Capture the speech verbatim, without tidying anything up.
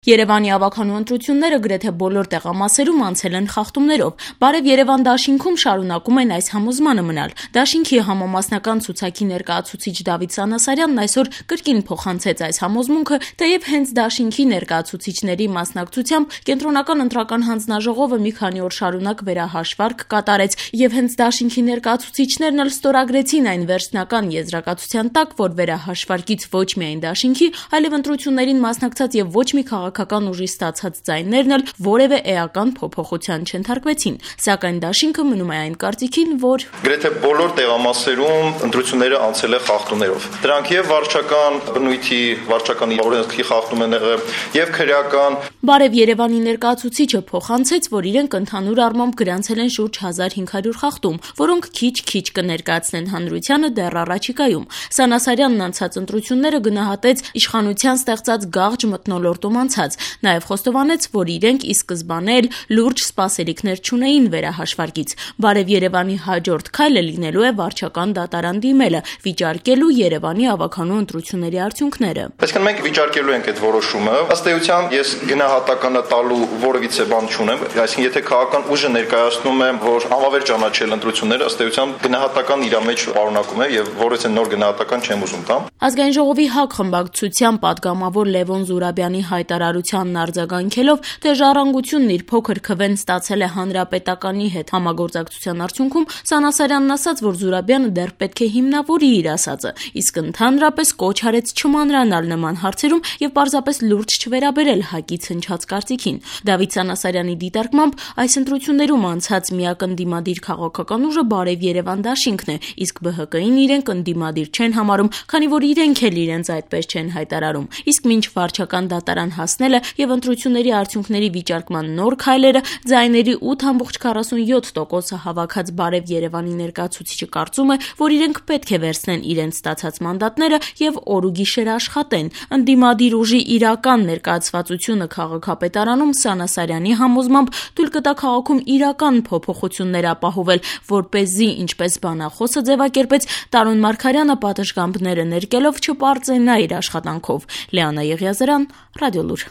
Երևանի ավագանու ընտրությունները գրեթե բոլոր տեղամասերում անցել են խախտումներով։ Բարև Երևան դաշինքում շարունակում են այս համոզմանը մնալ։ Դաշինքի համամասնական ցուցակի ներկայացուցիչ Դավիթ Սանասարյանն այսօր կրկին փոխանցեց այս համոզմունքը, թեև հենց դաշինքի ներկայացուցիչների մասնակցությամբ կենտրոնական ընտրական հանձնաժողովը մի քանի օր շարունակ վերահաշվարկ կատարեց, եւ հենց դաշինքի ներկայացուցիչներն էլ ստորագրեցին այն վերջնական եզրակացության տակ, որ վերահաշվարկից ոչ միայն դաշինքի, այլև ընտրություններին մասնակցած եւ ոչ մի քաղաքական ուժի ստացած ձայներն էլ որևէ էական փոփոխության չընթարկվեցին, սակայն դաշինքը մնում է այն կարծիքին, որ գրեթե բոլոր տեղամասերում ընտրությունները անցել է խախտումներով։ Դրանք եւ վարչական բնույթի, վարչական օրենքի խախտում են եղել, եւ քրեական։ Բարև Երևանի ներկայացուցիչը փոխանցեց, որ իրենք ընդհանուր առմամբ գրանցել են շուրջ հազար հինգ հարյուր խախտում, որոնք քիչ-քիչ կներկայացնեն հանրությանը դեռ առաջիկայում։ Սանասարյանն անցած ընտրությունները գնահատեց իշխանության ստեղծած գաղջ մթնոլորտում անցած, նաև խոստովանեց, որ իրենք ի սկզբանե էլ լուրջ սպասելիքներ չունեին վերահաշվարկից։ Բարև Երևանի հաջորդ քայլը լինելու է վարչական դատարան դիմելը, վիճարկելու Երևանի ավագանու ընտրությունների արդյունքները։ Այսինքն մենք վիճարկելու ենք այդ որոշումը։ Ըստ էության ես գնահատականը տալու որևիցե բան չունեմ, այսինքն եթե քաղաքական ուժը ներկայացնում է, որ անվավեր ճանաչել ընտրությունները, ըստ էության գնահատական իր մեջ պարունակում է եւ որևիցե նոր գնահատական չեմ ուզում տամ։ Ազգային ժողովի ՀԱԿ խմբակցության պատգամավոր Լևոն Զուրաբյանի հայտարարությանն արձագանքելով, թե ժառանգությունն իր փոքր քվեն ստացել է հանրապետականի հետ համագործակցության արդյունքում, Սանասարյանն ասաց, որ Զուրաբյանը դեռ պետք է հիմնավորի իր ասածը, իսկ ընդհանրապես կոչ արեց չմանրանալ նման հարցերում եւ պարզապես լուրջ չվերաբերել ՀԱԿ-ից հնչած կարծիքին։ Դավիթ Սանասարյանի դիտարկմամբ այս ընտրություններում անցած միակ ընդդիմադիր քաղաքական ուժը Բարև Երևան դաշինքն է, իսկ ԲՀԿ-ին իրենք ընդդիմադիր չեն համարում, քանի որ իրենք էլ իրենց այդպես չեն հայտարարում։ Իսկ մինչ վարչական դատարան հասնելը եւ ընտրությունների արդյունքների վիճարկման նոր քայլերը, ձայների ութ կόμμα քառասունյոթ տոկոսը հավաքած Բարև Երևանի ներկայացուցիչը կարծում է, որ իրենք պետք է վերցնեն իրենց ստացած մանդատները եւ օր ու գիշեր աշխատեն։ Ընդդիմադիր ուժի իրական ներկայացվածությունը քաղաքապետարանում Սանասարյանի համոզմամբ թույլ կտա քաղաքում իրական փոփոխություններ ապահովել, որպեսզի, ինչպես բանախոսը ձևակերպեց, Տարոն Մարգարյանը պատշգամբները ներկելով չպարծենա իր աշխատանքով։ Լիանա Եղիազարյան, Ռադիոլուր։